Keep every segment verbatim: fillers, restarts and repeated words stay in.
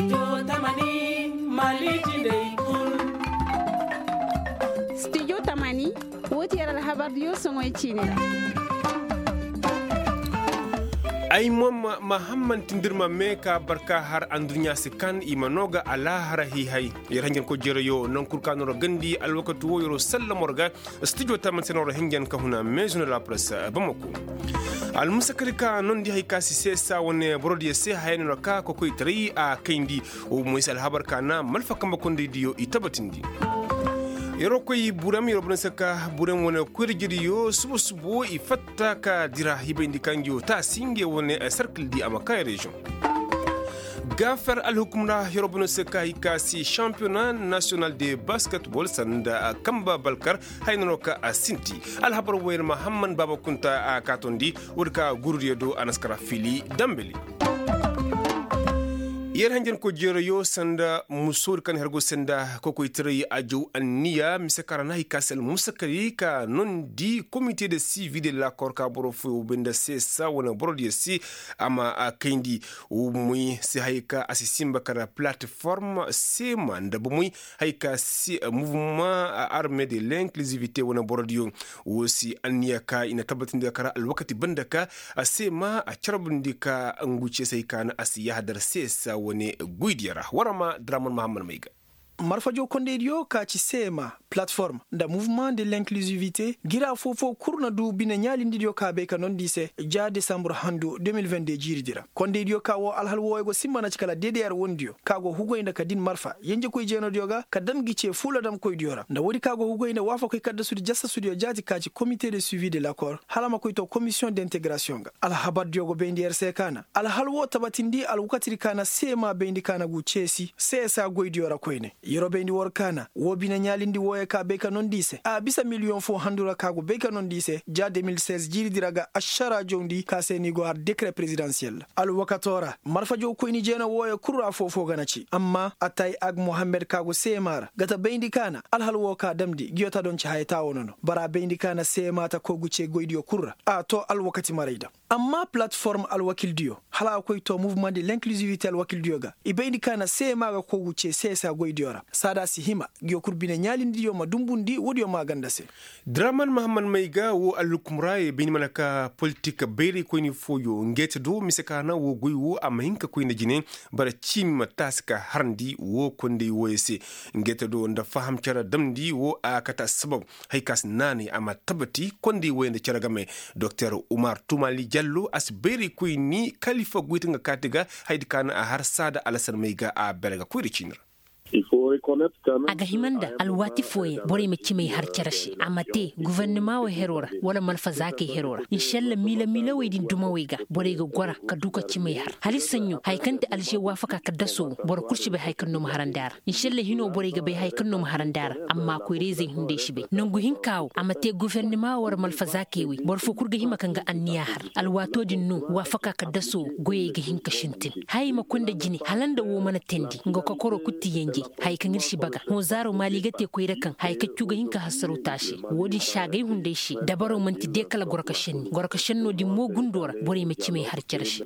Stijo tamani, wo ti yer alhabardiyo soŋoy ciini ra. Ay mo ma hammanti nda ir ma mee ka barka har anduɲɲa si kan i ma noo ga alaahara hiihay. Yer hanjankoy jeerayo naŋ kul ka no ra gandi alwakati wo yeroo sallamo ra ga. Stijo tamani se no ra hinjan ka huna meezu nda la press bamako. Almusakari ka nondi hay ka si seesa wane borodiyo se haya no ra ka kokoytaray a kayndi. Wo mo i si alhabar ka na malfa kambe kondaydiyo i tabatindi. Yeroo koy burem yeroo bana se ka burem wane koyra jiriyo suba suba wo i fatta ka dira hibayndi ka ngi wo taasi nge wane serkil di a ma kay reziyoŋ. Gaafer alhukum ra yeroo bana se ka i ka si shampiyona nasiyonal de basketbol sanda kamba balkar. Hay nanoo ka a sinti alhabar wayar mahamman baaba kunta a kaatondi. Woodi ka gurudiyo do a na si kara fili dambali. Yer hanjankoy jeerayo sanda musoodi kaŋ har go sanda kokoytaray a jaw anniya mise ka ra na hay ka si almusakari ka nondi komite de sivi de lakor ka boro fooyo bay nda seesa wane borodiyo se. A ma a kayndi. Wo moy si hay ka a si simba kara plateform seema nda bomoy hay ka si muvuma arme de l'inkilizivite wane borodiyo. Wo si anniya ka i na tabbatindi ga kara alwakati banda ka a se ma a carbundi ka ngu ceesey ka na a si yahadar seesa wane goydiyo ra war ma draman mahammad may ga. Marfajo kondaydiyo ka ci seema, platform nda muvuma de l'inkilizivite gira foofo kul na du bine ɲaalindidiyo ka bay ka nondi i se ja desambur handu de mil vende jiiridi ra kondaydiyo ka wo alhal wooyo go simba na ci kala dedeyar wondiyo ka go hugoy nda ka din marfa yenjekoy jeenodiyo ga ka dam gi ce fuuladamkoydiyo ra nda woodi ka go hugoy nda waafakoy kaddasudi jasasudiyo jaati ka ci komite de suivi de lakor hala a ma koy to komisiyoŋ de integrasiyoŋ ga. Alhabardiyo go bayndi yer se ka na alhal woo tabatindi alwakatidi ka na seema bayndi ka na gu ceesi seesa goydiyo ra koyne. Yeroo bayndi war ka na woo bine ɲaalindi wooyo ka bay ka nondi i se a bisa miliyoŋ foo handu ra ka go bay ka nondi i se ja de mil seize jiiridi ra ga ašaraa jawndi ka se ni go har dekre perezidansiyel ra alwakatoo ra marfajow koyni jeena wooyo kul ra foofo ga na ci amma atay ag mohammed ka go seema ra ga ta bayndi ka na alhal woo ka damndi ngiyo ta donci haya taawo nono bara bayndi ka na seema ta koy gu cee goydiyo kul ra a too alwakati maray da. Amma palatform alwakildiyo hala a koy too muvuma de l'inkilizivite alwakildiyo ga i bayndi ka na seema ga koy gu cee seesa goydiyo ra saada si hima ngiyo kul bine ɲaalindiyo ma dumbundi woodiyo maaganda se. Draman mahammad may ga woo alhukum ra ye bay ni mana ka politik bayraykoyni fooyo ngeete do mise ka na woo goy woo a ma hin ka koy nda jine. Bara ciimi ma taasi ka harndi woo konday wooyo se. Ngeete do nda faham cere damndi woo a kate assabab. Hay ka si naanay a ma tabati konday wooyo nda cere game. Doktor umar tumali jallo a si bayraykoyni kalifa goyte nga kaati ga. Hayadi ka na a har saada alasan may ga a bere ga koyra ciini ra. A ga hima nda alwaati fooyaŋ borey ma cimay har cere se a ma te gufernama wo heroo ra wala malfazaakey heroo ra inšalla miila-miilawey din dumawey ga borey ga gora ka du ka cimay har hala i saɲɲo haya kaŋ ti alže waafaka kaddasoo wo boro kul si bay haya kaŋ no ma harandi a ra. Inšalla hinoo borey ga bay haya kaŋ no ma harandi a ra. Amma koyra-izey hunday si bay nangu hinka wo a ma te gufernama wo wala malfazaakey wey boro foo kul ga hima ka nga anniya har alwaatoo din no waafaka kaddasoo wo goyey ga hin ka sintin. Hayey ma koy nda jine hala nda woo mana teendi nga kokoroo kul ti yenjey. Haya kaŋ ir si baga hõ zaaroo maali ga te koyra kaŋ haya kaccu ga hin ka hassaroo te a se. Woo din saagay hunday se dabaroo man'ti de kala goro ka senni goro ka sennoo din mo gundoo ra borey ma cimay har cere se.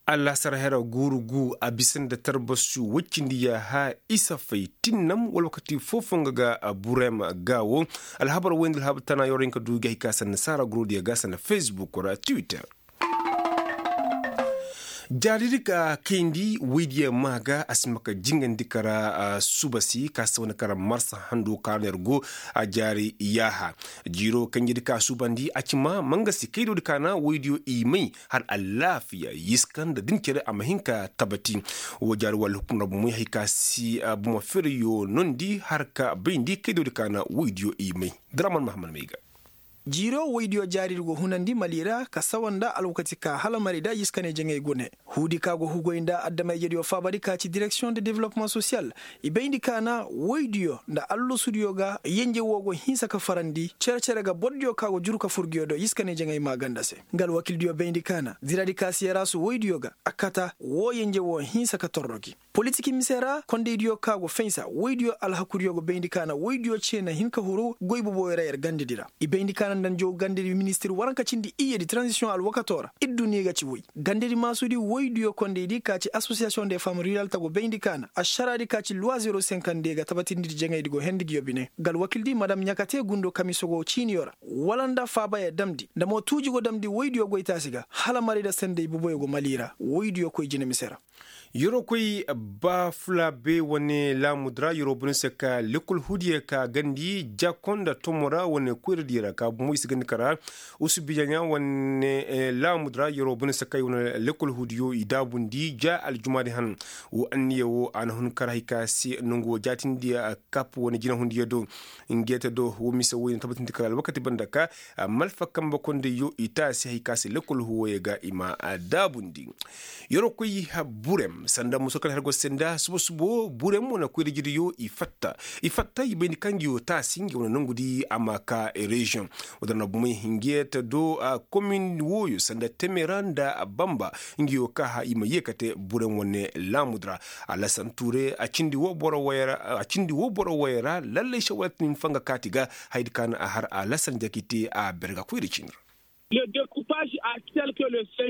Allaasar hera guuru gu a bisa nda tarbasu woy cindi yaaha isa fay tinnam wala wakati foo-foo nga ga burem ga wo. Alhabar woy nda alhabar tana yoro hin ka du ga hay ka sanda saara gurudiyo ga sanda facebook ra twitter. Jaaridi ka kayndi woydiyo maa ga a si ma ka jingandi kara suuba si ka si wane kara marsa hando ka no yer go. A jaari yaaha jiiro kanjedi ka suubandi a ci ma manga si kaydodi ka na woydiyo i may har allaafiya yiska nda din cere a ma hin ka tabati. Woo jaari walla hukum ra bomoy hay ka si bomo fereyo nondi har ka bayndi kaydodi ka na woydiyo i may. Draman mahammad may ga. Jiiro woydiyo jaaridi go hunandi mali ra ka sawa nda alwakati ka hala mari da yiskaney jaŋay gune. Huudi ka go hugoy nda adama-ijediyo faabadi ka ci direksiyoŋ de developmaŋ sosiyal. I bayndi ka na woydiyo nda allasudiyo ga yenje woo go hinsa ka farandi cere-cere ga bordiyo ka go juru ka fur nguyo do yiskaney jaŋay maaganda se. Nga alwakildiyo bayndi ka na diradi ka si yarasu woydiyo ga a kata woo yenje woo hinsa ka torro gi. Politik mise ra kondaydiyo ka go fensa woydiyo alhakudiyo go bayndi ka na woydiyo ce na hin ka huru goy boboyo ra yer gandedi ra. I bayndi ka na nda njaw gandedi ministir waranka cindi iyyedi transisiyoŋ alwakato ra. Duniya ga ci woy gandedi maasudi woydiyo kondaydi ka ci asosiyasiyoŋ de fam riral ta go bayndi kaana ašaraadi ka ci luwazero senkandi ga tabatindi jaŋaydi go hendi nguyo bine ga alwakildi madam ɲakate gundo kamiso go ciiniyo ra wala nda faabaya damndi nda mo tuuji go damndi woydiyo goytaasi ga hala marayda sanday boboyo go mali ra woydiyo koy jine mise ra. Yeroo koy baafulaabe wane laamudi ra yeroo bone se ka lekkol huudiyo ka gandi jako nda tomo ra wane koyradiyo ra ka bumo i si gandi kara usubijaɲa wane laamudi ra yeroo bone se ka i wane lekkol huudiyo i daabundi ja aljumaadi han. Woo anniya woo a na hun kara hay ka se nongu woo jaatindi kap wane jinahundiyo do. Ngeeta do woo mise woy na tabatindi kara alwakati banda ka malfa kambe kondayyo i taasi hay ka se lekkol huuwoyo ga i ma daabundi. Yeroo koy burem sanda muso kala har go senda subo subo burem wane koyrijiriyo i fatta i fatta i bayndi kaŋ ngi woo taasi ngi wane nongudi a ma ka reziyoŋ. Woo da na bumey hinge ta do komin wooyo sanda temera nda bamba ngi woo ka ha i ma yee ka te burem wane laamudi ra. Alasan tuure a cindi woo boro wooyo ra lallay sewalati ni ma fanga kaati ga hayadi ka na a har alasan jaki te a berga koyri cini ra.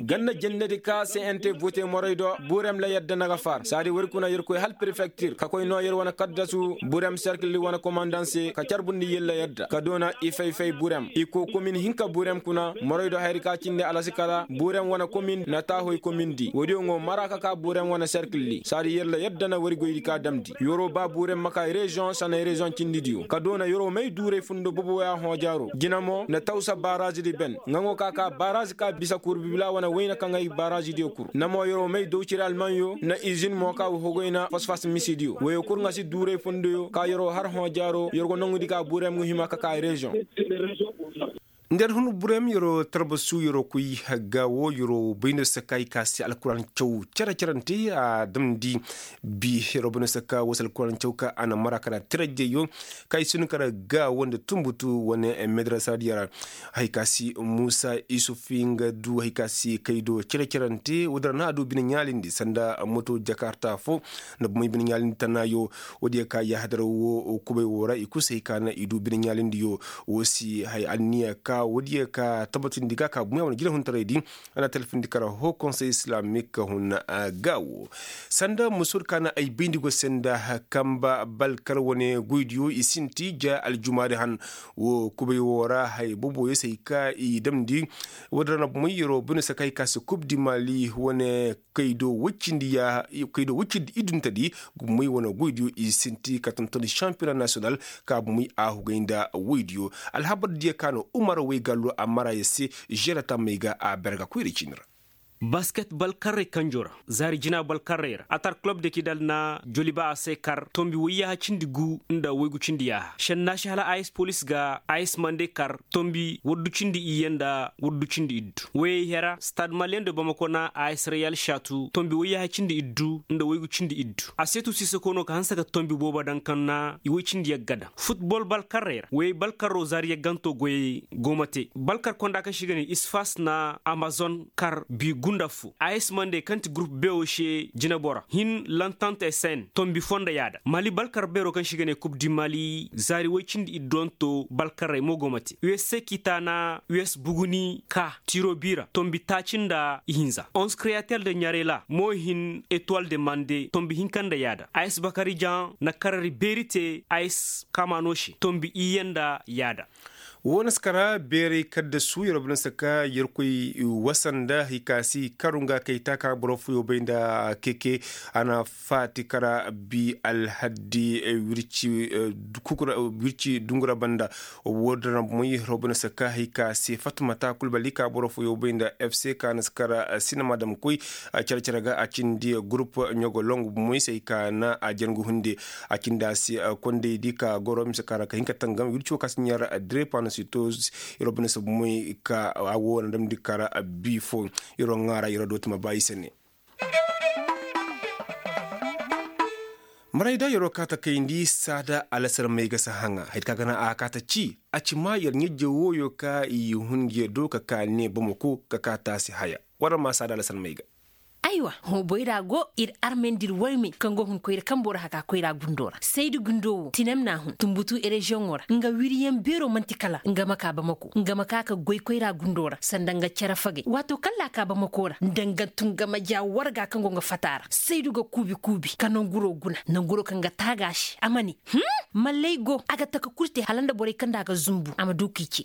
Ganna jennedi ka se ente vote morey do burem la yadda na ga faar saadi wari kuna yer koy hal prefektir ka koy noo yer wane kaddasu burem serkil wane komandan se ka carbundi yer la yadda ka doona i fay-fay burem i koo komin hinka burem kuna morey do hayadi ka cindi alasi kala burem wane komin na taahoy komin di woodiyo ŋo mara ka ka burem wane serkil di saadi yer la yadda na wari goydi ka damndi yeroo ba burem ma ka reziyoŋ sanay reziyoŋ cindidiyo ka doona yeroo may duuray fundo boboya hoojaaroo jina mo na tawsa baaraazidi ben nga ŋo ka ka baaraazi ka bisa kurbibilaa wane wayna kaŋ ay baaraazidiyo kul na mo yeroo may dawciri almanyo na izin mo ka woo goyna fosfas misidiyo woyo kul nga si duuray fundoyo ka yeroo har hoojaaroo yer go nongudi ka burem ga hima ka ka reziyoŋ. Nda yer hun burem yeroo tarbasu yeroo koy hagga woo yeroo bayno saka i ka se alkuraani caw cere-cerante a damndi bi yeroo bayno saka woo se alkuraani caw ka a na mara kara tirajeyo ka i si hin kara gaawo nda tunbutu wane medrasa diya ra. Hay ka si muusa isufi nga du hay ka si kay do cere-cerante woo din ra no a du bine ɲaalindi sanda moto jakarta foo nda bumey bine ɲaalindi tanaayo. Woodiyo ka yahadar woo kubay woo ra i kul se hay ka na i du bine ɲaalindiyo woo si hay anniya ka woodiyo ka tabatindi ga ka bumey wane jinahuntaraydi. A na talfindi kara ho konsey islamik hun gaawo sanda musoodi ka na ay bayndi go se nda kamba balkar wane goydiyo i sinti ja aljumaadi han. Woo kubay woo ra hay boboyo se hay ka i damndi. Woodin ra na bumey yeroo bune se ka hay ka se kub di mali wane kaydo woy cindi iduntedi. Gumey wane goydiyo i sinti ka tontoni šampiyona nasiyonal ka bumey a hugay nda woydiyo. Alhabar diyo ka no umar woy gallo a mara yer se žerata may ga a berga koyra cindi ra. Basket balkarrey kanjo ra zaari jina balkarrey ra atar kulob de kidal na joliba a se kar tombi woyyaaha cindi gu nda woygu cindi yaaha šennaasi hala a s polis ga a s mande kar tombi wuddu cindi iyye nda wuddu cindi iddu woyey hera stad malien de bamako na a s reyal šatu tombi woyyaaha cindi iddu nda woygu cindi iddu a seetu siisako no ka hanse ka tombi boobo daŋ kaŋ na i woy cindi yagga daŋ futbol balkarrey ra woyey balkarro zaari yagganto goyey go ma te balkar konda kaŋ se i ga ne isfas na amazon kar bi gunda fo a s mande kaŋ ti gurup bewo se jinebora hin lantant sn tombi fo nda yaada mali balkar beero kaŋ se i ga ne kub di mali zaari woy cindi idduwanto balkarrey mo go ma te u s se kita na u s buguni ka tiro biira tombi taaci nda ihinza onze kreyater de ɲarela mo hin etowal de mande tombi hinka nda yaada a s bakari jan na karari beeri te a s kamano se tombi iyye nda yaada. Woo na si kara beeray kaddasu yer bana saka yerkoy wasa nda hay ka si karu nga kay taaka boro fooyoo bay nda keke. A na faati kara bi alhaddi wirci dungura banda. Woo din ra bomoy yer bana saka hay ka si fatmata kulbali ka boro fooyoo bay nda fc ka na si kara sinama damkoy care care ga a cindi gurup ɲogo longu bomoy se hay ka na a jangu hunde. A cindi a se kondaydi ka goro mise ka ra ka hin ka tangam wirci woo ka si ɲaar direpa na si to. Yer wo bine se bomoy ka a wo na damndi kara bi fo. Yer wo ŋaara yer wo dooti ma ba i se ne. Marayda yer wo kaata kayndi saada alasar may ga si haŋa hay ka ga na a kaata ci a ci ma yer ɲajje wooyo ka i hun ngi yer do ka ka ne bamako ka ka taasi haya. War ma saada alasar may ga. Aywa, boyra go ir armey nda ir warmey kaŋ go hun koyra kambo ra haka koyra gundo ra saydu gundo wo tinem n'a hun tunbutu ereziyoŋo ra nga wiriyaŋ beero man'ti kala nga ma ka bamako nga ma ka ka goy koyra gundo ra sanda nga cere fagey waato kaŋ ra a ka bamako ra nda nga tun nga ma ja warga kaŋ go nga fata ra saydu ga kuubi kuubi ka nanguro guna nanguro kaŋ ga taaga se a ma ne malley go a ga taka kul te hala nda borey kaŋ nda a ga zumbu a ma du k'i ce.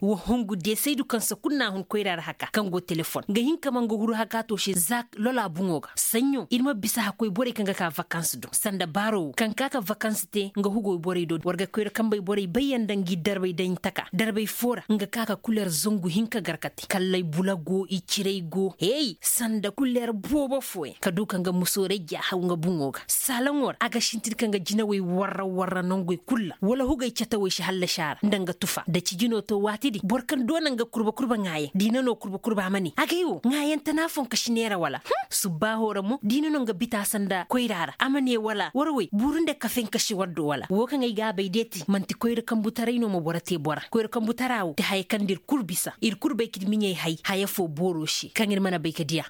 Wa hungu de saydu kaŋ se kul n'a hun koyra ra haka kaŋ go telefon ga hin ka ma nga huru haka to se za lola buŋo ga saɲɲo ir ma bisa hakkoy borey kaŋ ga ka vakans do sanda baaro wo kaŋ ka ka vakans te nga hugoy borey do war ga koyra kambey borey bayyaŋ nda ngi darbey daɲ taka darbey foo ra nga ka ka kuler zangu hinka gar ka te kalley bula go i cirey go hey sanda kuler boobo fooyaŋ ka du ka nga musoorey ja haw nga buŋo ga saalaŋo ra a ga sintin ka nga jinawey warra warra nongey kul ra wala hugey catawey si hallasi a ra nda nga tufa nda cijino to waati din boro kaŋ doona nga kurba kurba ŋaayaŋ da i na no kurba kurba a ma ne agay wo ŋaayaŋ tana fonka si neera wala subbaaho ra mo da i na no nga bita sanda koyra ra a ma ne wala war wey buuru nda kafen ka si war do wala wo kaŋ ay ga a bay deeti man'ti koyra kambutaray no ma boro te bora koyra kambutara wo ti haya kaŋ nda ir kul bisa ir kul bay ka ir miɲey hay haya foo booro se kaŋ ir mana bay ka diya.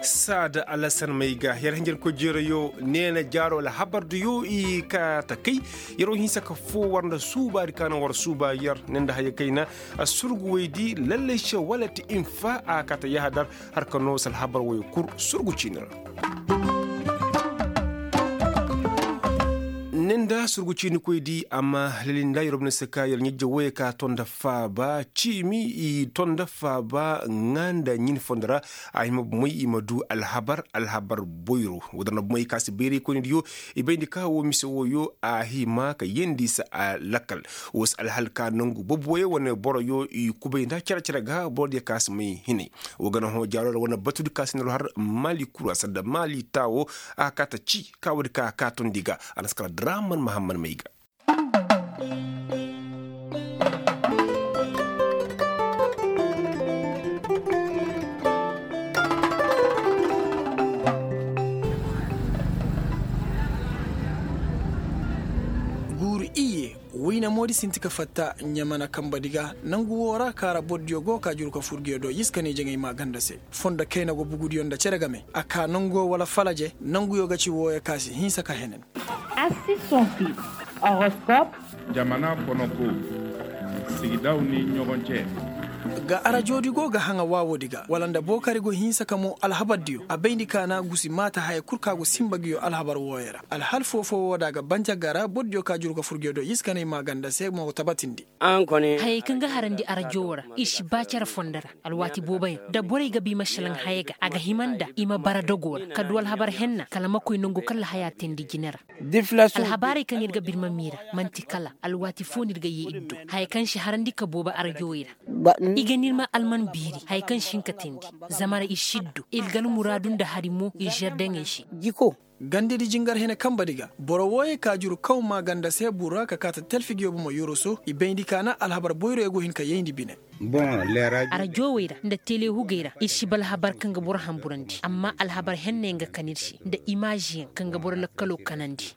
Saada alasan may ga yer hinjankoy jeerayo neena jaaro alhabardiyo i ka ta kay yer wo hinsa ka foo war nda suubaadi ka naŋ war suuba yer ne nda haya kayna surguwaydi lallay se wala ti infa a ka ta yahadar har ka noo se alhabar woyo kul surgu ciini ra. Ni nda surgu ciinikoydi amma lali nda yer ma ne se ka yer ɲajje woyey ka to nda faaba ciimi i to nda faaba ŋaa nda ɲin fondo ra. A hima bomey i ma du alhabar alhabar boyro woo da na bomey ka si bayraykoynidiyo i bayndi ka woo mise wooyo a hima ka yeendi se a lakkal woo se alhal ka nongu boboyo wane boroyo i kubay nda cere-cere ga borodiyo ka si may hinay. Woo ga na hõ jaaro ra wane batudi ka si na har maali kura sanda maali taawo a ka ta ci ka woodi ka a kaatundi ga a na si kala draman mahamman may ga. Guuru iyye wayna moodi sinti ka fatta ɲamana kambadi ga nangu woo ra kaara borodiyo go ka juru ka fur nguyo do yiskaney jaŋay maaganda se. Fondo kayna go bugudiyo nda cere game a kaa nanguyo wala falaje nanguyo ga ci wooyo ka si hinsa ka henen. Assis son fil horoscope. Jamana konoko sigidaw ni ɲogoncee. Ga arajoodi go ga haŋa waawoodi ga wala nda bookari go hinsa ka moo alhabardiyo a bayndi kaana gusi maata haya kul ka go sinba nguyo alhabar wooyo ra alhal foofo woo da a ga banja gara borodiyo ka juru ka fur nguyo do yiskaney maaganda se mo tabatindi. Hayey kaŋ ga harandi arajo woo ra ir si ba cere fondo ra. Alwaati booboyaŋ da borey ga ba i ma šelaŋ haya ga a ga hima nda i ma bara dogoo ra ka du alhabar henna kala ma koy nongu kala haya teendi jine ra. Alhabaarey kaŋ ir ga ba ir ma miira man'ti kala alwaati foo no ir ga yee ir do haya kaŋ si harandi ka boobo arajowey ra. I ga n'ir ma alman biiri haya kaŋ si hin ka teendi zama ra ir si ir do ir ga almuraadu nda hari mo ir žerdeŋey se. Gandedi jingar hene kambadi ga boro wooyey ka juru kaw maaganda se bur ra ka kaata telfi nguyo bomo yoroso i bayndi kaana alhabar boyroyo go hin ka yayndi bine. Arajoowey ra nda tele hugey ra ir si ba alhabar kaŋ ga boro hamburandi amma alhabar hennayaŋ ga kan ir se nda imaaziyaŋ kaŋ ga boro lakkaloo kanandi.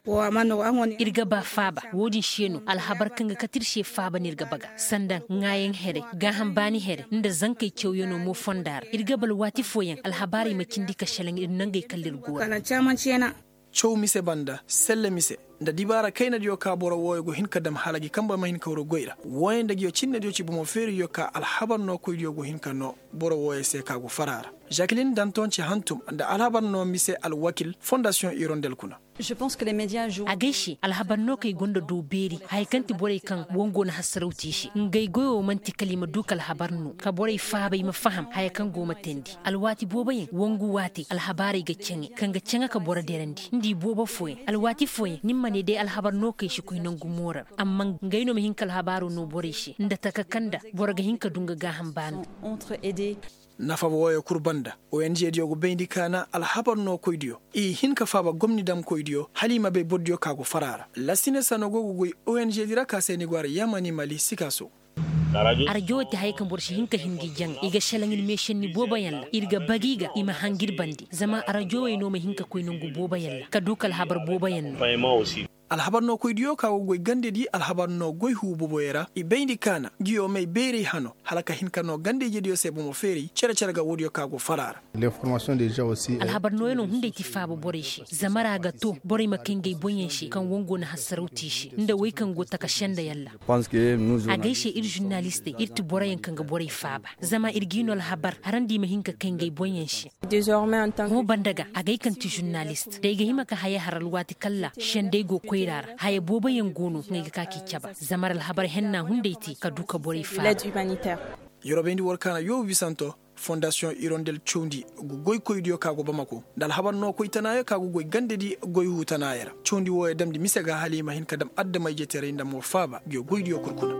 Ir ga ba faaba woo-din se no alhabar kaŋ ga kate ir se faaba no ir ga baga sanda ŋaayaŋ here gaaham baani here nda zankey cawyanoo mo fonda ra ir ga ba alwaati fooyaŋ alhabaarey ma cindi ka šelaŋ ir nangey kala ir go ra. Caw mise banda selle mise nda dibaara kaynadiyo ka boro wooyo go hin ka dam hala gi kambe ma hin ka wuro goy ra wooyo nda nguyo cinnediyo ci bomo feeriyo ka alhabar nookoydiyo go hin ka noo boro wooyo se ka go far a ra. Žakilin danton ci hantum nda alhabar noo mise alwakil fondasiyoŋ irondel kuna. Agay se alhabar nookey gonda doo beeri haya kaŋ ti borey kaŋ wongo na hasarawti i se ngey goyo man'ti kala i ma du ka alhabar noo ka borey faaba i ma faham haya kaŋ go ma teendi. Alwaati booboyaŋ wongu waatey alhabaarey ga caŋe kaŋ ga caŋe ka boro derandi nda i boobo fooyaŋ alwaati fooyaŋ ni ma ne day alhabar nookey si koy nangu mooro ra amma ngey no ma hin ka alhabaaroo noo borey se nda taka kaŋ nda boro ga hin ka du nga gaaham baano. Nafa wooyo kul banda onjediyo go bayndi kaana alhabar nookoydiyo i hin ka faaba gomni damkoydiyo hala i ma bay bordiyo ka go far a ra. Lasine sano go ga goy onjedi ra ka se ni go a ra yamani mali sikaaso. Arajo wo ti haya kaŋ boro si hin ka hin gi jaŋ i ga šelaŋ ir meešenni booboyaŋ ra ir ga bagi ga i ma hangir bande zama arajowey no ma hin ka koy nangu booboyaŋ ra ka du ka alhabar booboyaŋ no. Alhabar no koydiyo ka go goy gandedi alhabar no goy huu boboyo ra i bayndi kaana nguyo may bayray hano hala ka hin ka no ganda-ijediyo se bomo feeray cere-cere ga woodiyo ka go fara ra. Alhabar nooyaŋo hunday ti faaba borey se zama ra ga to borey ma kay ngey boŋyaŋ se kaŋ wango na hassaraw te i se nda wey kaŋ go taka sendayaŋ ra. Agay se ir žurnalistey ir ti boroyaŋ kaŋ ga borey faaba zama ir g'i no alhabar harandi i ma hin ka kay ngey boŋyaŋ se. Hõ banda ga agay kaŋ ti žurnalist da ay ga hima ka haya har alwaati kaŋ ra sendey go koyra ra haya booboyaŋ go no kaŋ ay ga ka k'i caba zama ra alhabar henna hunday te ka du ka borey faaba. Yeroo bayndi war kaana yoobu bisanto fondasiyoŋ irondel cawndi ga goykoydiyo ka go bamako nda alhabar no koy tanaayo ka go goy gandedi goy huu tanaayo ra cawndi wooyo damndi mise ga hala i ma hin ka dam adama-ijetaray nda mo faaba nguyo goydiyo kul kuna.